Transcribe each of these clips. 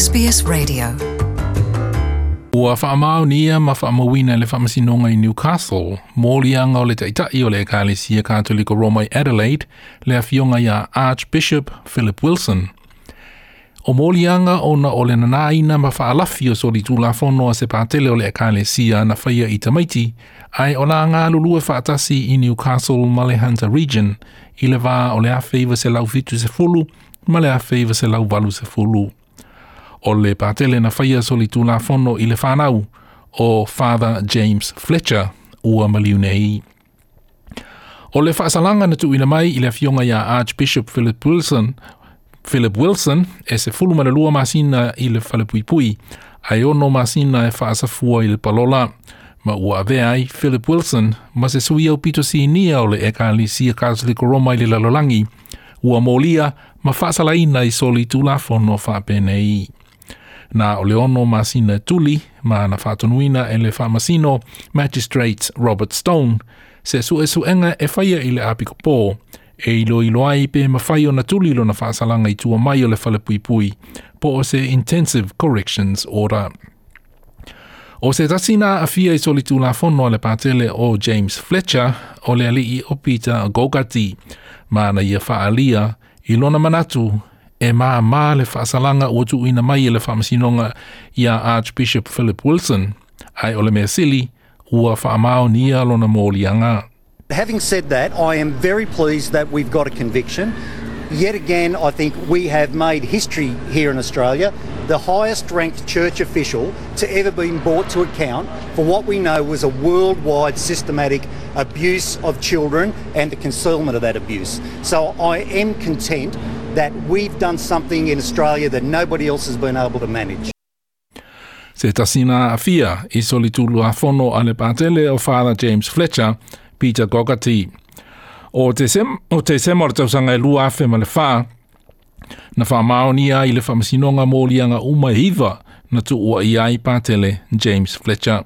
SBS Radio. Ua faamaonia ma faamauina e le Faamasinoga i Newcastle moliaga o le Taitai o le Ekalesia Katoliko Roma i Adelaide, le Afioga ia Archbishop Philip Wilson. O moliaga ona o le nanāina ma faalafi o solitulafono a se patele o le Ekalesia na faia i tamaiti, ae o la galulue faatasi i Newcastle ma le Hunter Region i le va o le 1970 ma le 1980. O le patele na faia solitulafono i le whanau o Father James Fletcher ua maliu nei. O le faasalaga na tuuina mai i le afioga iā Archbishop Philip Wilson, Philip Wilson e 12 masina i le falepuipui, ae 6 masina e faasafua i le palola. Ma ua avea ai Philip Wilson ma se sui aupito sinia o le Ekalesia Katoliko Roma i le lalolagi, ua molia ma faasalaina i solitulafono faapenei. Na o le 6 masina e tuli ma na faatonuina e le faamasino Magistrate Robert Stone se suesuega e faia i le apikopō e iloilo ai pe mafai ona tuli lona faasalaga i tua mai o le falepuipui po o se Intensive Corrections Order. O se tasi na aafia i solitulafono a le patele o James Fletcher o le alii o Peter Gogarty, ma na ia faaalia i lona manatu e māmā le faasalaga ua tuuina mai e le Faamasinoga iā Archbishop Philip Wilson, ae o le mea sili ua faamaonia lona moliaga. Having said that, I am very pleased that we've got a conviction. Yet again, I think we have made history here in Australia, the highest ranked church official to ever been brought to account for what we know was a worldwide systematic abuse of children and the concealment of that abuse. So I am content that we've done something in Australia that nobody else has been able to manage. Se tasi na aafia i solitulafono a le patele o Father James Fletcher, Peter Gogarty. O Tesema o le tausaga e 2004, na faamaonia ai le Faamasinoga moliaga uma e 9 na tuua i ai patele James Fletcher.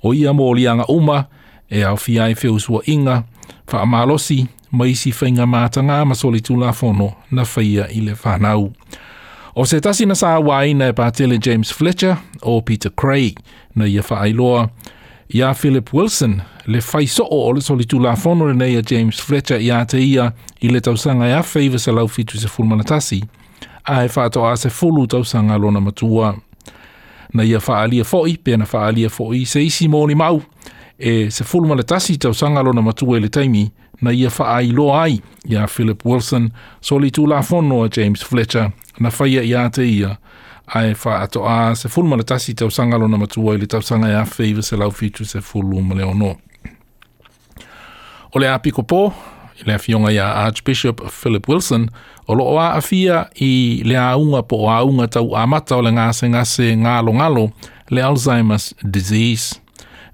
O ia moliaga uma e aofia ai feusuaiga, faamalosi, ma isi faiga matagā ma solitulafono na faia i le fanau. O se tasi na sauaina e patele James Fletcher o Peter Craig na ia faailoa iā Philip Wilson le faisoo o le solitulafono lenei a James Fletcher iā te ia i le tausaga e 1971, ae faatoa 10 tausaga lona matua. Na ia faaalia foi pe na faaalia foi se isi molimau e 11 tausaga lona matua i le taimi na ia faailoa ai iā Philip Wilson solitulafono a James Fletcher na faia iā te ia ae faatoa 11 tausaga lona matua i le tausaga e 1976. O le apikopo i le afioga iā Archbishop Philip Wilson o loo aafia i le auga po o auga tau amata o le gasegase galogalo le Alzheimer's disease.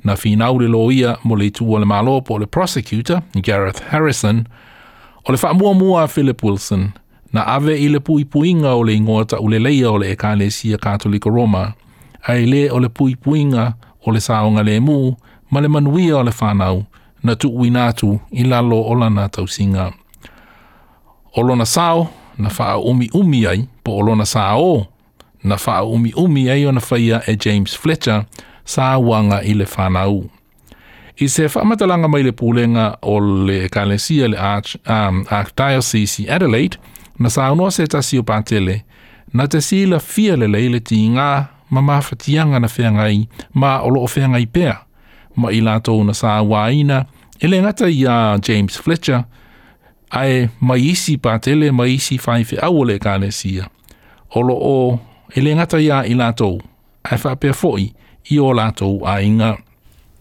Na finau le loia mo le itu o le Malo po o le prosecutor Gareth Harrison o le faamuamua a Philip Wilson na ave i le puipuiga o le igoa tauleleia o le Ekalesia Katoliko Roma, ae le o le puipuiga o le saogalemu ma le manuia o le fanau na tuuina atu i lalo o lana tausiga. O lona sao na faaumiumi ai po o lona sao na faaumiumi ai ona faia e James Fletcher sauaga i le fanau. I se faamatalaga mai le pulega o le Ekalesia le Archdiocese i Adelaide, na saunoa se tasi o patele, na te silafia lelei le tigā ma mafatiaga na feagai ma o loo feagai pea, ma i latou na sauaina e le gata iā James Fletcher, ae mai isi patele ma isi faifeau o le Ekalesia. O loo e le gata iā i latou, ae faapea foi i o latou aiga.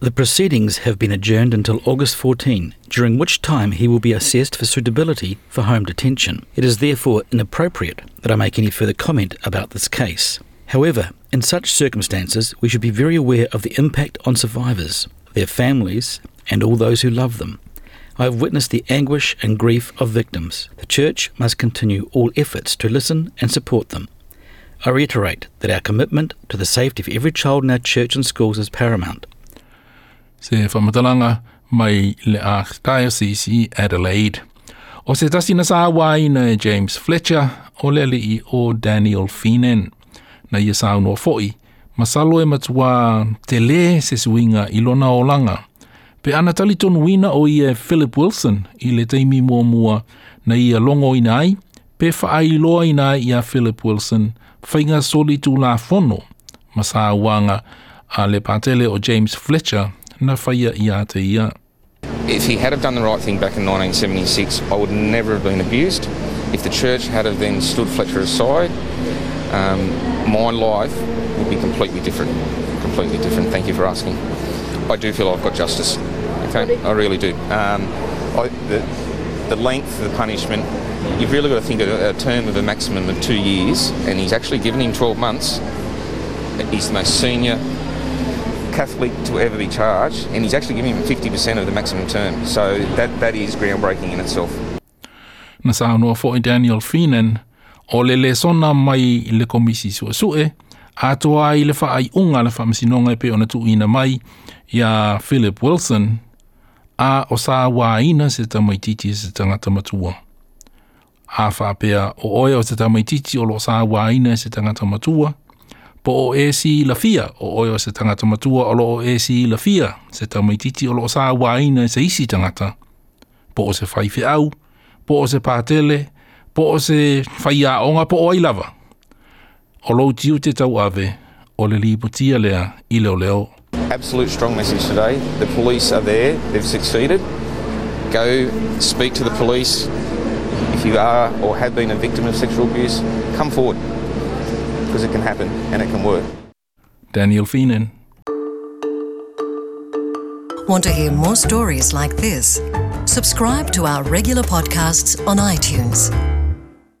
The proceedings have been adjourned until August 14, during which time he will be assessed for suitability for home detention. It is therefore inappropriate that I make any further comment about this case. However, in such circumstances, we should be very aware of the impact on survivors, their families, and all those who love them. I have witnessed the anguish and grief of victims. The Church must continue all efforts to listen and support them. I reiterate that our commitment to the safety of every child in our church and schools is paramount. Se faamatalaga mai le Archdiocese i Adelaide. O se tasi na sauaina e James Fletcher o le alii o Daniel Feenan. Na ia saunoa foʻi, masalo e matuā telē se suiga i lona olaga pe ana talitonuina ʻo ia e Philip Wilson i le taimi muamua na ia logoina ai pe faailoaina ai iā Philip Wilson faiga solitulafono ma sauaga a le Patele o James Fletcher na faia iā te ia. If he had have done the right thing back in 1976, I would never have been abused. If the church had have then stood Fletcher aside, my life would be completely different. Completely different. Thank you for asking. I do feel I've got justice. Okay, I really do. The length of the punishment, you've really got to think of a term of a maximum of 2 years, and he's actually given him 12 months. He's the most senior Catholic to ever be charged, and he's actually giving him 50% of the maximum term. So that is groundbreaking in itself. Na saunoa foʻi Daniel Feenan, o le lesona mai i le komisi suesue, atoa ai le faaiuga a le faamasinoga e pei ona tuuina mai iā Philip Wilson, a o sauaina se tamaititi e se tagata matua. A faapea o oe o se tamaititi o loo sauaina e se tagata matua, po o e silafia o oe o se tagata matua o loo e silafia se tamaititi o loo sauaina e se isi tagata, po o se faifeau, po o se patele, po o se faiaoga po o ai lava. O lou tiute tauave o le lipotia lea i leoleo. Absolute strong message today. The police are there, they've succeeded. Go speak to the police. If you are or have been a victim of sexual abuse, come forward because it can happen and it can work. Daniel Feenan. Want to hear more stories like this? Subscribe to our regular podcasts on iTunes.